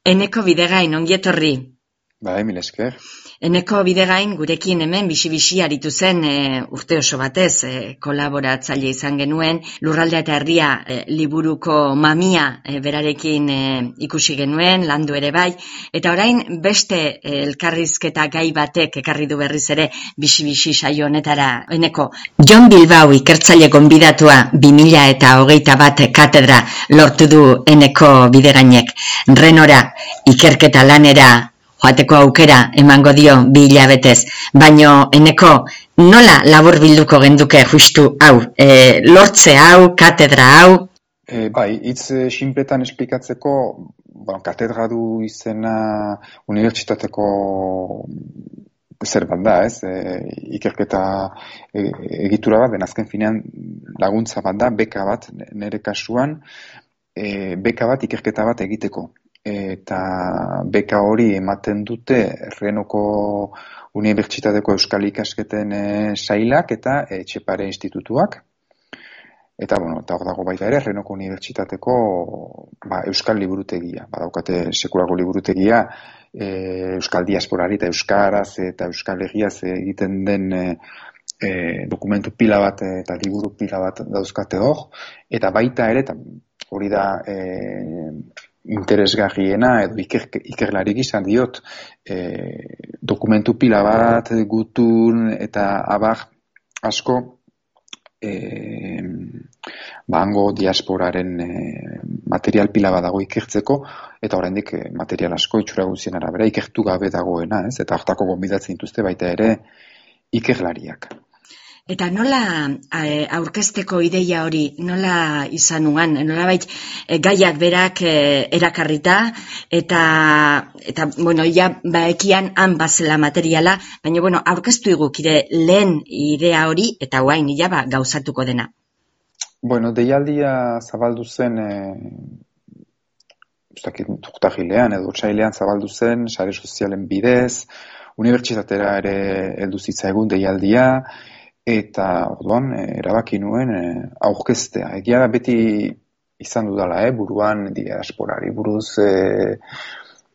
Eneko Bidegain, ongi etorri. Mil esker. Eneko Bidegain gurekin hemen bisi-bisi aritu zen urte oso batez kolaboratzaile izan genuen, Lurraldea eta Herria liburuko mamia berarekin ikusi genuen, landu ere bai, eta orain beste elkarrizketa gai batek ekarri du berriz ere bisi-bisi saio honetara. Eneko, Jon Bilbao ikertzaile gonbidatua 2021 katedra lortu du Eneko Bidegainek. Renora ikerketa lanera joateko aukera emango dio 2 hilabetez, baino Eneko nola labur bilduko genduke justu hau, lortze hau, katedra hau? Bai, hitz sinpletan esplikatzeko, katedra du izena unibertsitateko zer bat da, ez? Ikerketa egitura bat, azken finean laguntza bat da, beka bat, nire kasuan, beka bat ikerketa bat egiteko. Eta beka hori ematen dute Renoko Unibertsitateko Euskal Ikasketen sailak eta Etxepare Institutuak. Eta hor dago baita ere Renoko Unibertsitateko Euskal Liburutegia. Badaukate sekulako liburutegia Euskal Diasporari eta Euskaraz eta Euskal Herriaz egiten den dokumentu pila bat eta liburu pila bat dauzkate hor. Eta baita ere, hori da interesgarriena edo ikerlarik izan diot dokumentu pila bat, gutun eta abar asko hango diasporaren material pila bat dago ikertzeko eta oraindik material asko itxura guztien arabera ikertu gabe dagoena, ez? Eta hartako gonbidatzen dituzte baita ere ikerlariak. Eta nola aurkezteko ideia hori, nola izan nuan, nolabait gaiak berak erakarrita, eta ja baekian han bazela materiala, baina aurkeztu igukire lehen idea hori, eta guain ja gauzatuko dena. Deialdia zabaldu zen, urtahilean edo otsailean zabaldu zen, sare sozialen bidez, unibertsitatera ere heldu zitzaigun deialdia, eta orduan erabaki nuen aurkeztea. Egia da beti izan dudala, buruan diasporari buruz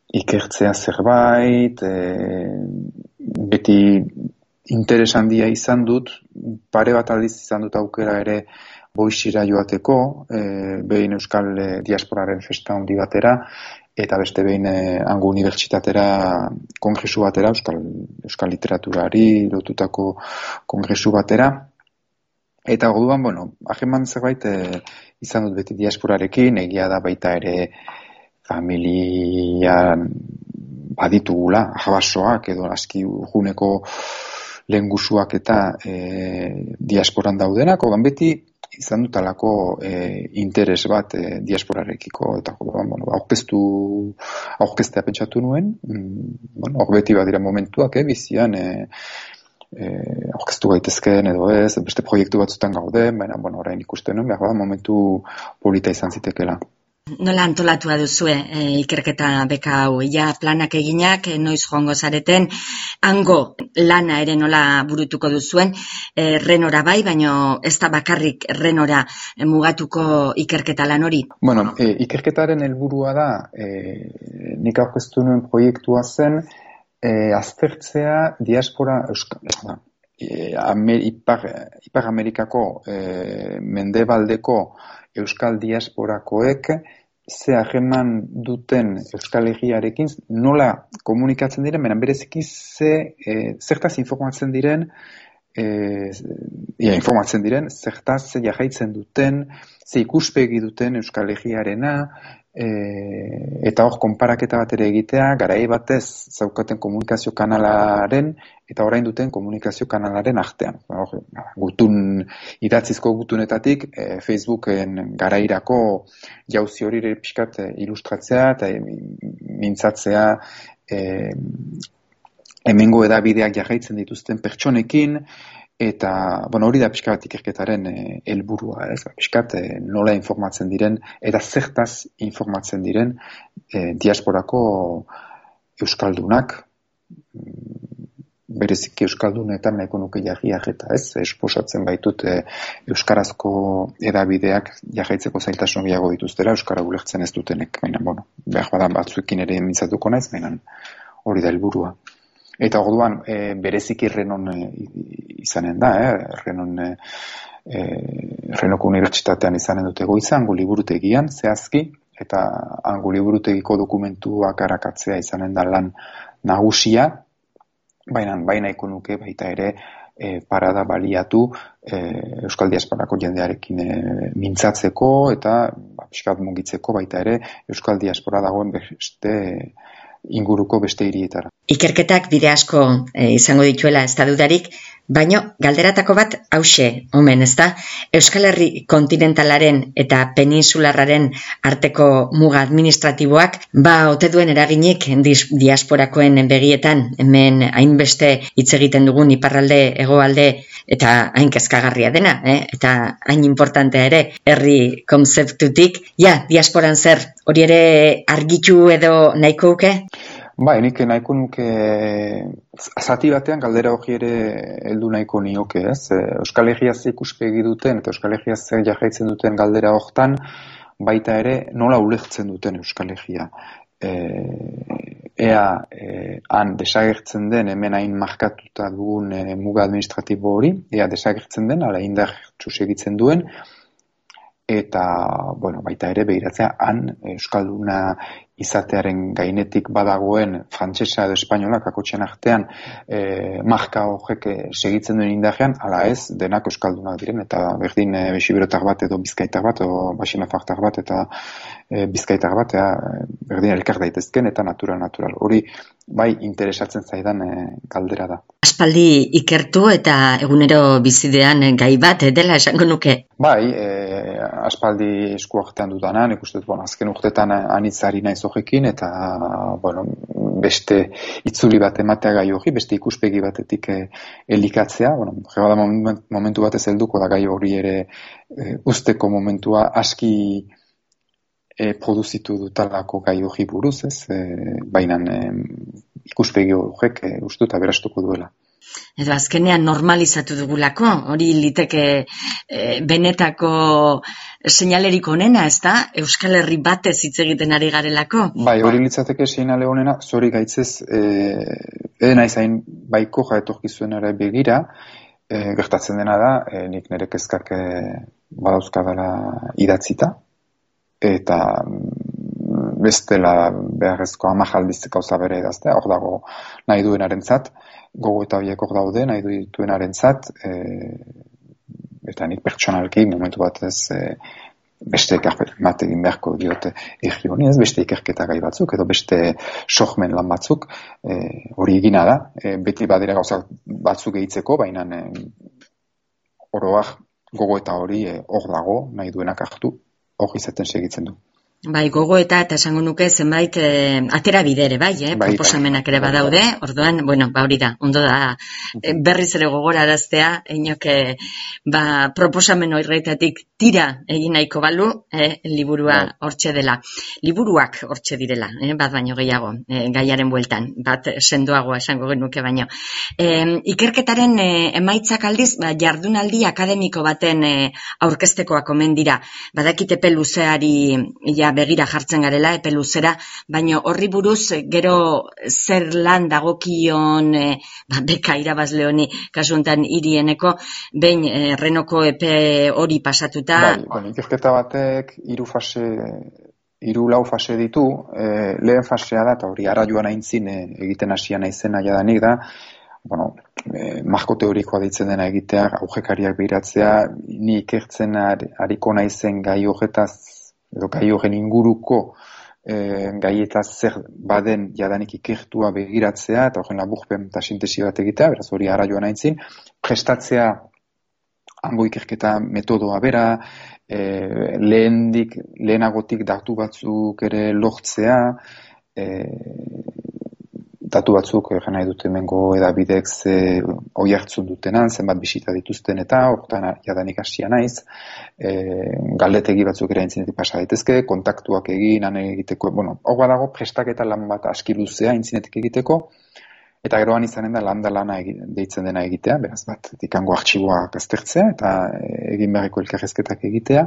ikertzea zerbait, beti interes handia izan dut, pare bat aldiz izan dut aukera ere Boixira joateko, behin Euskal Diasporaren festa handi batera, eta beste behin hango unibertsitatera kongresu batera, Euskal literaturari lotutako kongresu batera. Eta orduan, hageman zerbait izan dut beti diasporarekin, egia da baita ere familian baditugula, jabasoak edo aski urguneko lehengusuak eta diasporan daudenak, orduan beti izan dutalako interes bat diasporarekiko, eta aurkeztea pentsatu nuen, hor beti badira momentuak, bizian aurkeztu gaitezkeen edo ez, beste proiektu batzutan gauden, baina orain ikusten nuen, behar momentu polita izan zitekela. Nola antolatua duzue ikerketa beka hau? Ja planak eginak, noiz joango zareten, hango lana ere nola burutuko duzuen, Renora bai, baina ez da bakarrik Renora mugatuko ikerketa lan hori? Ikerketaren helburua da, nik aurkeztu nuen proiektua zen, aztertzea diaspora Ipar Amerikako mendebaldeko Euskal diasporakoek ze harreman duten Euskal Herriarekin nola komunikatzen diren, baina bereziki zertaz informatzen diren, zertaz jarraitzen duten, ze ikuspegi duten Euskal Herriarena, eta hor konparaketa bat ere egitea, garai batez zaukaten komunikazio kanalaren eta orain duten komunikazio kanalaren artean. Idatzizko gutunetatik Facebooken garairako jauzi hori pixkat ilustratzea eta mintzatzea hemengo edabideak jarraitzen dituzten pertsonekin, eta hori da pixka bat ikerketaren helburua, pixka nola informatzen diren eta zertaz informatzen diren diasporako euskaldunak bereziki euskaldunetan nahiko nuke jarriak eta ez, esposatzen baitut euskarazko edabideak jarraitzeko zailtasun gehiago dituztera, euskara ulertzen ez dutenek, baina, bueno, behar badan batzuekin ere mintzatuko naiz, baina hori da helburua. Eta orduan, bereziki Renon izanen da, Renoko unibertsitatean izanen dute goiza, hango liburutegian, zehazki, eta hango liburutegiko dokumentuak arakatzea izanen da lan nagusia, baina ikonuke baita ere parada baliatu Euskal Diasporako jendearekin mintzatzeko eta pixkat mugitzeko baita ere Euskal Diaspora dagoen beste inguruko beste hirietara. Ikerketak bide asko izango dituela ez da dudarik, baino galderatako bat hauxe, omen, ezta? Euskal Herri kontinentalaren eta peninsularraren arteko muga administratiboak ote duen eraginik diasporakoen begietan, hemen hainbeste hitz egiten dugun iparralde, hegoalde eta hain kezkagarria dena, eta hain importantea ere herri konzeptutik, diasporan zer, hori ere argitu edo nahiko uke? Nik nahiko nuke zati batean galdera hori ere heldu nahiko nioke, ez? Euskal Herria ze ikuspegi duten eta Euskal Herria ze jarraitzen duten galdera hortan baita ere nola ulertzen duten Euskal Herria. Han desagertzen den, hemen hain markatuta dugun muga administratibo hori, desagertzen den, ala indartsu segitzen duen, eta, baita ere behiratzea, han Euskalduna izatearen gainetik badagoen frantsesa edo espainola kakotxen artean marka horrek segitzen duen indarrean, ala ez, denak euskaldunak diren, eta berdin besiberotar bat edo bizkaitar bat, edo basinafartar bat eta bizkaitar bat, berdin elkar daitezken eta natural. Hori bai interesatzen zaidan galdera da. Aspaldi ikertu eta egunero bizidean gai bat dela esango nuke? Aspaldi esku artean dudana, nik uste dut, azken urtetan anitzari naiz horrekin, eta, beste itzuli bat ematea gai hori, beste ikuspegi batetik elikatzea, momentu batez helduko da gai hori ere usteko momentua aski produzitu dutalako gai hori buruz, ez? Baina ikuspegi horrek uste dut aberastuko duela. Edo azkenean normalizatu dugulako, hori liteke benetako seinalerik onena, ez da? Euskal Herri batez hitz egiten ari garelako? Hori litzateke seinale onena, zori gaitzez, edena izain baiko jaetorkizuenara begira, gertatzen dena da, nik nire kezkak badauzkadala idatzita, eta bestela beharrezko 10 aldiz gauza bere idaztea, hor dago nahi duenarentzat, gogo eta horiek hor daude, nahi duenarentzat, eta nik pertsonalki momentu batez beste ekarpenak egin beharko diote erri honi, ez beste ikerketa gai batzuk, edo beste sohmen lan batzuk, hori egina da, beti badira gauza batzuk egitzeko, baina oroak gogo eta hori hor dago, nahi duenak hartu, hor izaten segitzen du. Gogo eta esango nuke zenbait atera bidere, proposamenak ere badaude, orduan, hori da, ondo da, berriz ere gogoraraztea, inoke, proposamen horretatik tira egin nahiko balu, liburua hortxe dela. Liburuak hortxe direla, bat baino gehiago, gaiaren bueltan, bat sendoagoa esango genuke baino. Ikerketaren emaitzak aldiz, jardunaldi akademiko baten aurkeztekoak omen dira, badakit epe luzeari begira jartzen garela, epe luzera, baina horri buruz gero zer lan dagokion beka irabazle honi kasu honetan hirieneko, behin Renoko epe hori pasatuta. Ikerketa batek 3 lau fase ditu, lehen fasea da, eta hori ara joan aintzin egiten hasia naizena jadanik da, marko teorikoa deitzen dena egitea, aurrekariak behiratzea, ni ikertzen ariko naizen gai horretaz, edo gai horren inguruko gaietaz zer baden jadanik ikertua begiratzea, eta horren laburpen eta sintesi bat egitea, beraz hori ara joan aintzin, prestatzea hango ikerketa metodoa bera, lehenagotik datu batzuk ere lortzea, datu batzuk nahi dut hemengo edabidek hoi hartzun dutenan, zenbat bisita dituzten eta horretan jadanik hasia naiz, galdetegi batzuk ere aintzinetik pasa daitezke, kontaktuak egin, han egiteko, hor badago prestaketa lan bat aski luzea aintzinetik egiteko, Eta geroan izanen da lana deitzen dena egitea, beraz bat, ikango artxiboak aztertzea, eta egin beharreko elkarrezketak egitea.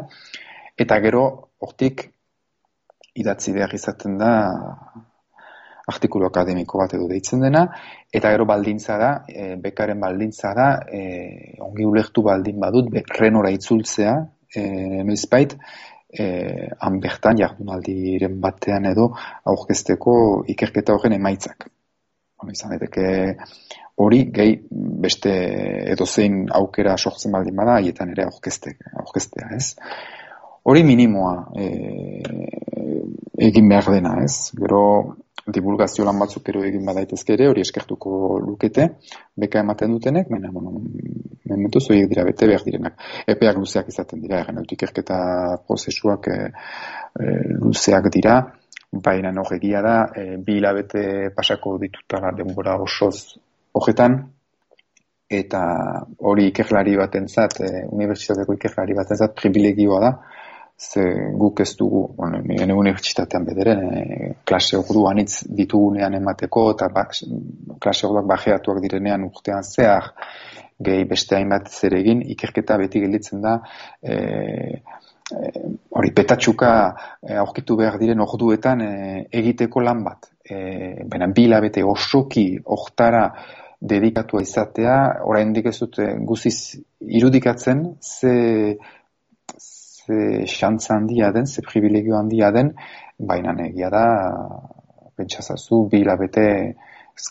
Eta gero, hortik, idatzi behar izaten da artikulu akademiko bat edo deitzen dena, eta gero baldintza da, bekaren baldintza da, ongi ulertu baldin badut, renora itzultzea, noizbait, han bertan jardunaldiren batean edo aurkezteko ikerketa horren emaitzak. Izan daiteke hori gehi beste edozein aukera sortzen baldin bada, haietan ere aurkeztea, ez? Hori minimoa egin behar dena, ez? Gero divulgazio lan batzuk ero egin badaitezke ere, hori eskertuko lukete, beka ematen dutenek, baina, mementuz horiek dira bete behar direnak. Epeak luzeak izaten dira, ikerketa prozesuak luzeak dira, baina egia da, 2 hilabete pasako ditutala denbora osoz horretan, eta hori ikerlari batentzat, unibertsitateko ikerlari batentzat privilegioa da, ze guk ez dugu, nire unibertsitatean bederen, klase ordu anitz ditugunean emateko, eta klase orduak bajeatuak direnean urtean zehar, gehi beste hainbat zer egin, ikerketa beti gelditzen da, hori petatxuka aurkitu behar diren orduetan egiteko lan bat. Baina 2 hilabete osoki hortara dedikatua izatea, oraindik ez dut guziz irudikatzen, ze xantza handia den, ze privilegio handia den, baina egia da, pentsazazu, 2 hilabete,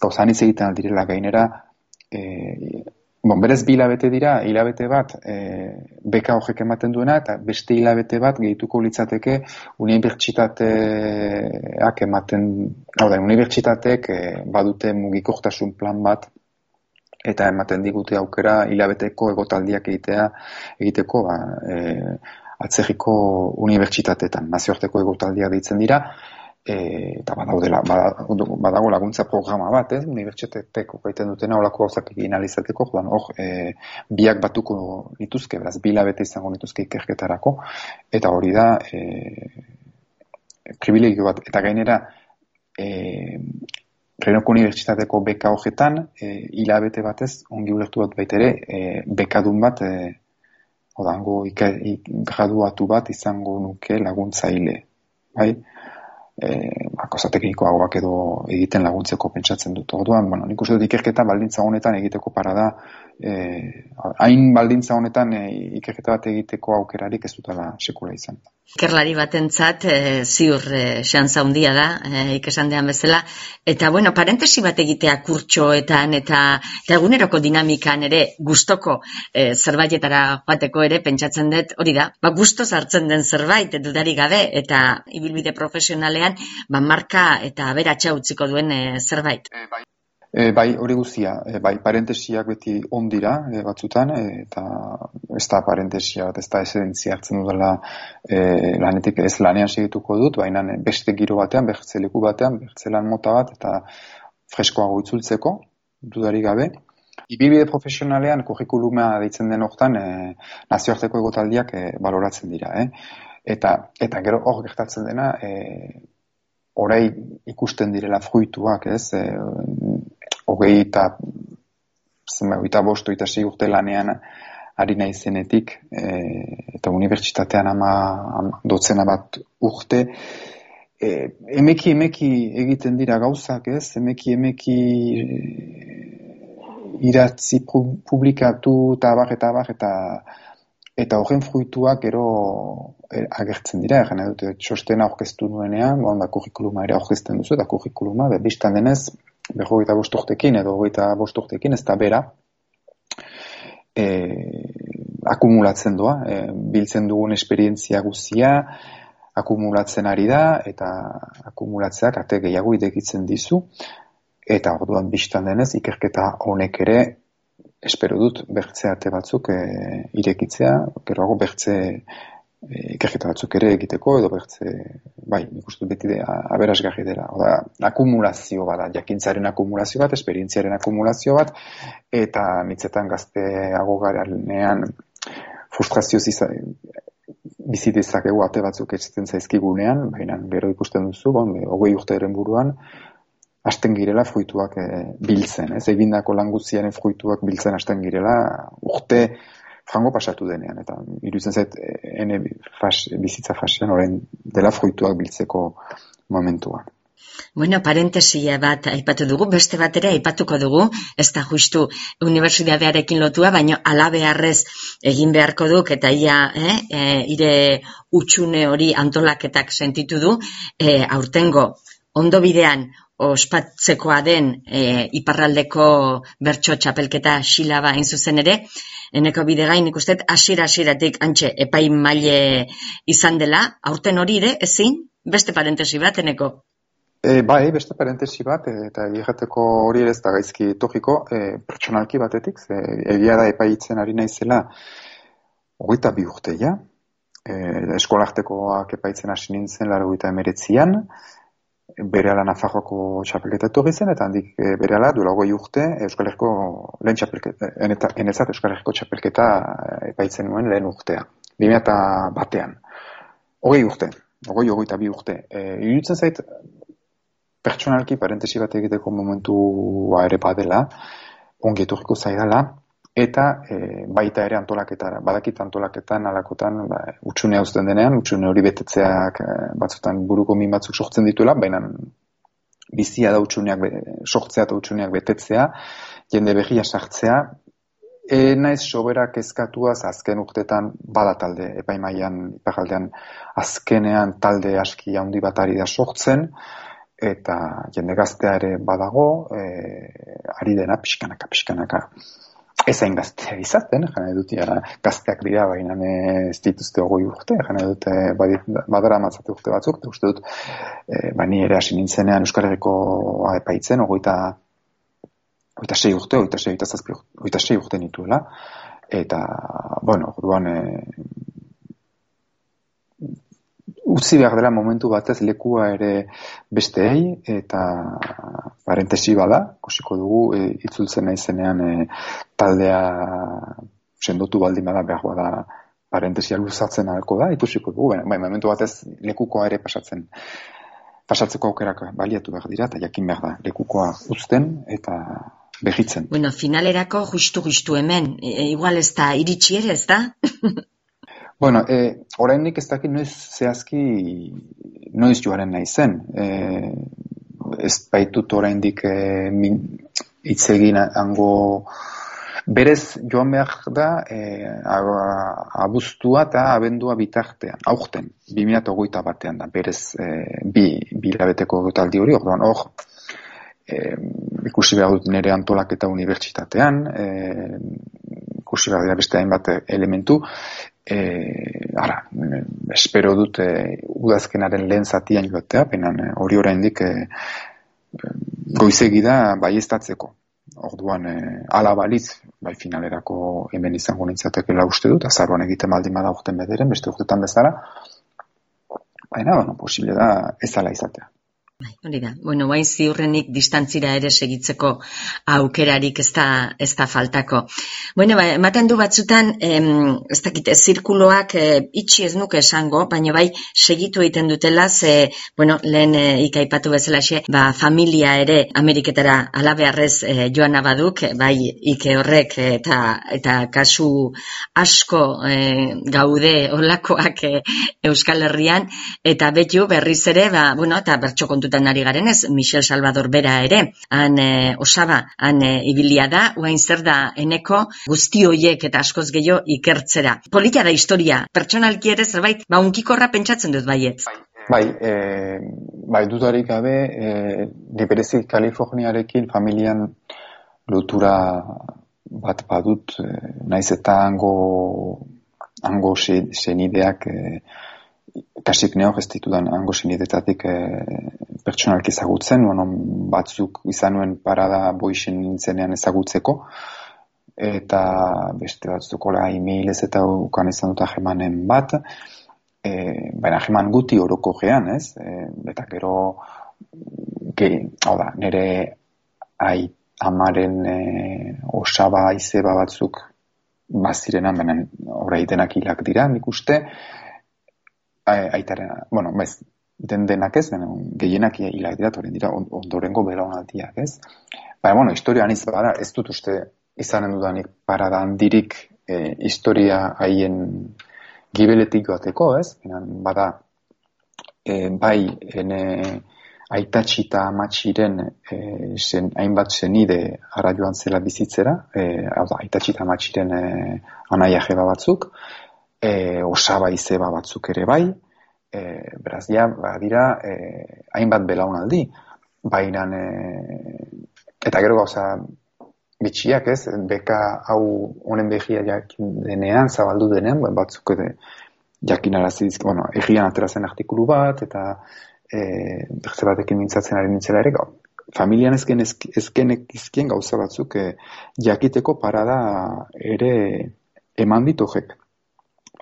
gauzan hitz egiten aldirela gainera, berez 2 hilabete dira, hilabete bat beka horrek ematen duena, eta beste hilabete bat gehituko litzateke unibertsitateak ematen, unibertsitateek badute mugikortasun plan bat, eta ematen digute aukera hilabeteko egotaldiak egiteko atzerriko unibertsitateetan, nazioarteko egotaldiak deitzen dira, eta badago laguntza programa bat, unibertsitateek okaiten dutena olako gauzak egin alizateko, biak batuko nituzke, beraz, 2 hilabete izango nituzke ikerketarako, eta hori da privilegio bat, eta gainera Renoko unibertsitateko beka horretan, hilabete batez, ongi ulertu bat baitere, bekadun bat, graduatu bat izango nuke laguntzaile, bai? Gauza teknikoagoak edo egiten laguntzeko pentsatzen dut. Orduan, nik uste dut ikerketa baldintza honetan egiteko parada, hain baldintza honetan ikerketa bat egiteko aukerarik ez dutela sekula izan. Ikerlari batentzat ziur xantza handia da, ikesan dean bezala, eta parentesi bat egitea kurtsoetan eta eguneroko dinamikan ere gustoko zerbaitetara joateko ere pentsatzen dut, hori da, gustoz hartzen den zerbait dudarik gabe, eta ibilbide profesionalean marka eta aberatsa utziko duen zerbait. Bai, hori guztia, parentesiak beti ondira batzutan, eta ez da parentesia bat, ez da esentzia hartzen dudala lanetik ez lanean segituko dut, baina beste giro batean, bertze leku batean, bertze lan mota bat, eta freskoago itzultzeko, dudarik gabe. Ibilbide profesionalean, kurrikuluma deitzen den hortan, nazioarteko egotaldiak baloratzen dira. Eta gero hor gertatzen dena, orai ikusten direla fruituak, ez? 25 urte lanean ari naizenetik, eta unibertsitatean 10 bat urte, emeki egiten dira gauzak, ez? Emeki idatzi publikatu eta horren fruituak gero agertzen dira, txostena aurkeztu nuenean, kurrikuluma ere aurkezten duzu, eta kurrikuluma, bistan denez, 25 urtekin edo 25 urtekin, ez da bera, akumulatzen doa, biltzen dugun esperientzia guzia, akumulatzen ari da, eta akumulatzeak ate gehiago idekitzen dizu, eta orduan bistan denez, ikerketa honek ere, espero dut, bertze ate batzuk irekitzea, geroago bertze ikerketa batzuk ere egiteko, edo bertze, nik uste beti aberasgarri dela. Akumulazio bat, jakintzaren akumulazio bat, esperientziaren akumulazio bat, eta nitzetan gazteago garenean frustrazioz bizi dezakegu ate batzuk etxetzen zaizkigunean, baina gero ikusten duzu, 20 urteren buruan, hasten girela fruituak biltzen, ez? Egindako lan guztiaren fruituak biltzen hasten girela urte frango pasatu denean, eta iruditzen zait bizitza fasean orain dela fruituak biltzeko momentua. Bueno, parentesia bat aipatu dugu, beste bat ere aipatuko dugu, ez da justu unibertsitatearekin lotua, baina halabeharrez egin beharko duk, eta ia ire utxune hori antolaketak sentitu du, aurtengo ondo bidean ospatzekoa den iparraldeko bertso txapelketa xilaba hain zuzen ere, eneko bidegain ikusten hasieratik antxe epaimaile izan dela, aurten hori ere, ezin, beste parentesi bat, eneko? Bai, beste parentesi bat, eta egiateko hori ere ez da gaizki etorriko, pertsonalki batetik, egia da epaitzen ari naizela 22 urte ja, eskolartekoak epaitzen hasi nintzen 89an, berehala Nafarroako txapelketa etorri zen, eta handik berehala duela 20 urte Euskal Herriko lehen txapelketa, enezat Euskal Herriko txapelketa epaitzen nuen lehen urtea, 2001an. 22 urte. Iruditzen zait, pertsonalki parentesi bat egiteko momentua ere badela, ongi etorriko zaidala, eta baita ere antolaketara. Badakit antolaketan, alakotan, utxunea uzten denean, utxune hori betetzeak batzutan buruko min batzuk sortzen dituela, baina bizia da utxuneak sortzea eta utxuneak betetzea, jende berria sartzea, naiz soberak kezkatuaz azken urtetan bada talde, epaimaian, iparraldean azkenean talde aski handi bat ari da sortzen, eta jende gaztea ere badago, ari dena pixkanaka. Ez hain gaztea izaten, jane dut, gazteak dira, baina ez dituzte 20 urte, jane dut, badara matzate urte batzuk, eta uste dut, ni ere hasi nintzenean Euskal Herriko epaitzen, 26 urte nituela, eta, orduan, utzi behar dela momentu batez lekua ere besteei, eta parentesi bada, kusiko dugu, itzultzen naizenean taldea sendotu baldin bada behar bada parentesia luzatzen ahalko da, ikusiko dugu, momentu batez lekukoa ere pasatzeko aukerak baliatu behar dira, eta jakin behar da, lekukoa uzten eta behitzen. Bueno, finalerako justu hemen, igual ez da iritsi ere, ez da? Bueno, oraindik ez dakit noiz joaren naizen. Ez baitut oraindik hitz egin hango berez joan behar da abuztua eta abendua bitartean, aurten, 2021 batean da, berez bi hilabeteko taldi hori, orduan ikusi behar dut nire antolaketa unibertsitatean, ikusi behar dira beste hainbat elementu, espero dut udazkenaren lehen zatian joatea, penan hori oraindik goizegi da baieztatzeko. Orduan, ala balitz, bai finalerako hemen izango nintzatekela uste dut, azaruan egiten baldin bada urten bederen, beste urtetan bezala, baina, posible da ez ala izatea. Hori da, guain ziurrenik distantzira ere segitzeko aukerarik ez da faltako. Ematen du batzutan, ez dakit, zirkuloak itxi ez nuke esango, baina bai segitu egiten dutela, lehen ikaipatu bezalaxe, familia ere Ameriketara alabearrez joan abaduk, bai ike horrek eta kasu asko gaude olakoak Euskal Herrian, eta betu berriz ere, eta bertso kontutan ari garenez, Michel Salvador bera ere, osaba, ibilia da, guain zer da eneko guzti hoiek eta askoz gehiago ikertzera. Polita da historia, pertsonalki ere zerbait, unkikorra pentsatzen dut baiet. Bai, dudarik gabe, liberezik Kaliforniarekin familian lotura bat badut, naiz eta hango senideak kasik neok ez ditudan hango senidetatik pertsonalki ezagutzen, batzuk izan nuen parada boixen nintzenean ezagutzeko, eta beste batzukola emailez eta ukan izan dut ahemanen bat, baina aheman guti oroko gean, ez? Eta gero, nire amaren osaba izeba batzuk bazirenan, baina orai denak hilak dira, nik uste, aitaren, denak ez, gehienak hilak dira, toren dira ondorengo belaunaldiak, ez? Baina, historia aniz bada, ez dut uste izanen dudanik parada handirik historia haien gibeletik joateko, ez? Bada, bai, aitatxi eta amatxiren hainbat zenide ara joan zela bizitzera, aitatxi eta amatxiren anaia jeba batzuk, osaba izeba batzuk ere bai, beraz, dira hainbat belaunaldi, baina, eta gero gauza bitxiak ez, beka hau honen behia jakin denean, zabaldu denean, batzuk jakinarazi dizk, egian atera zen artikulu bat, eta beste batekin mintzatzen ari nintzela ere, familian ezkenek izkien gauza batzuk jakiteko parada ere eman ditojek.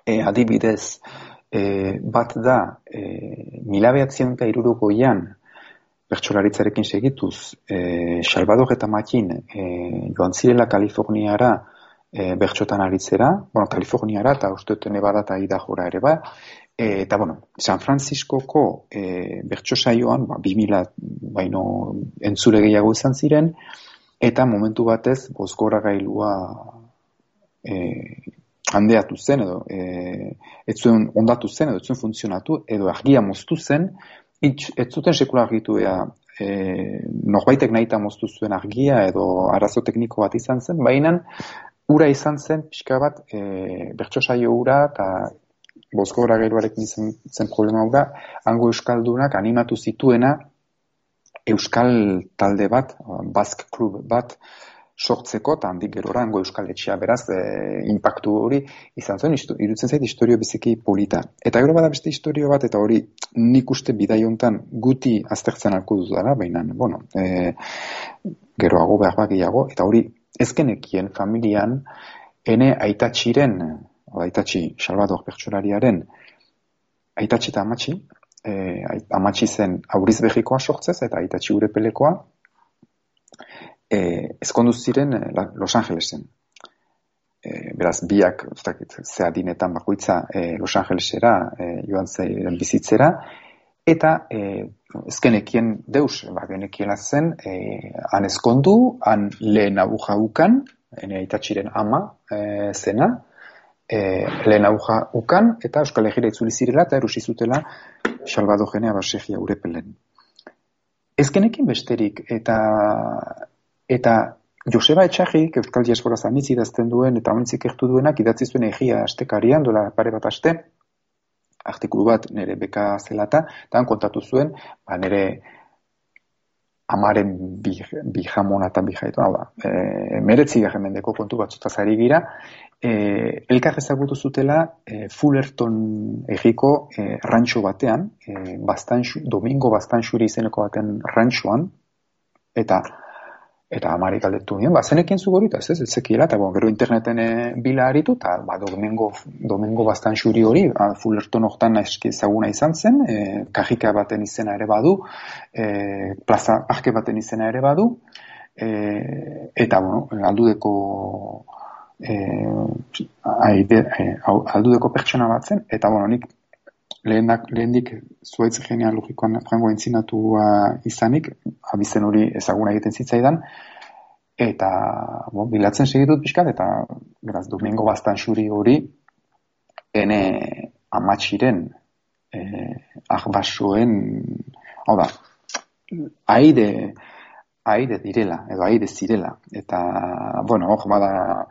Adibidez, bat da, 1960 bertsolaritzarekin segituz, Salvador eta Matin joan zirela Kaliforniara bertsotan aritzera, Kaliforniara eta uste dut Nevada eta Idahora ere ba, eta, San Franciscoko bertso saioan, 2000 baino entzule gehiago izan ziren, eta momentu batez bozgoragailua handeatu zen, edo ez zuen ondatu zen, edo ez zuen funtzionatu, edo argia moztu zen, ez zuten sekula argitu norbaitek nahita moztu zuen argia, edo arazo tekniko bat izan zen, baina ura izan zen, pixka bat, bertso saio ura, eta bozgora gailuarekin zen problema ura, hango euskaldunak animatu zituena euskal talde bat, Basque Club bat, sortzeko, eta handik gerora hango euskal etxea, beraz, impactu hori izan zen, irutzen zait historio biziki polita. Eta gero bada beste historio bat, eta hori nik uste bidai hontan guti aztertzen alko dudala, baina, geroago behar gehiago, eta hori ezkenekien familian, ene aitatxiren, aitatxi Salvador bertsolariaren, aitatxi eta amatxi, amatxi zen auriz behikoa sortzez, eta aitatxi urepelekoa, ezkondu ziren Los Angelesen. Beraz, biak, ze adinetan bakoitza Los Angelesera joan ziren bizitzera, eta ezkenekien deus, genekiela zen, han ezkondu, han lehen abuja ukan, aitatxiren ama zena, lehen abuja ukan, eta Euskal Herrira itzuli zirela, eta erusi zutela Salvador Genea Basegia urepelen. Ezkenekin besterik, eta Joseba Etxarrik, Euskal Diaspora zanitz idazten duen, eta honitzik ertu duenak, idatzi zuen egia astekarian, dola pare bat aste, artikulu bat nire beka zelata, eta kontatu zuen, nire amaren bijamona eta bijaitu, meretzigarren mendeko kontu batzutaz ari gira, elkar ezagutu zutela Fullerton egiko rantxo batean, Domingo Bastanxuri izeneko baten rantxoan, eta amari galdetu nien, zenekin zu gorita, ez zekiela, eta gero interneten bila aritu, eta Domingo Bastanxuri hori, Fullerton hortan eski ezaguna izan zen, kajika baten izena ere badu, plaza parke baten izena ere badu, eta, aldudeko pertsona bat zen, eta, nik lehendik zuaitz genealogikoan frango entzinatua izanik, abizen hori ezaguna egiten zitzaidan, eta bilatzen segitut pixkat, eta beraz, Domingo Bastanxuri hori ene amatxiren ahbasoen, hau da, aide direla, edo aide zirela, eta, hor bada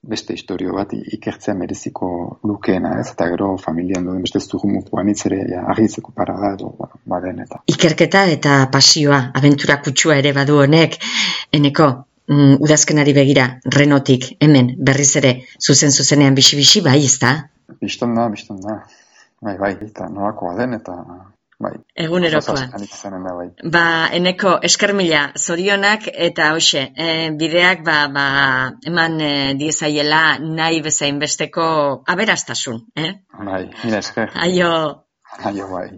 beste historio bat ikertzea mereziko lukeena, ez? Eta gero familian duen beste zurumukuan itzere argitzeko parada edo baden eta. Ikerketa eta pasioa, abentura kutsua ere badu honek, eneko, udazkenari begira, Renotik, hemen, berriz ere, zuzenean bixi-bixi, bai, ez da? Bistan da. Bai, eta nolakoa den, eta bai. Egunerokoa. Eneko, esker mila, zorionak, eta hoxe, bideak, eman diezaiela nahi bezain besteko aberastasun, Bai, mila esker. Aio, bai.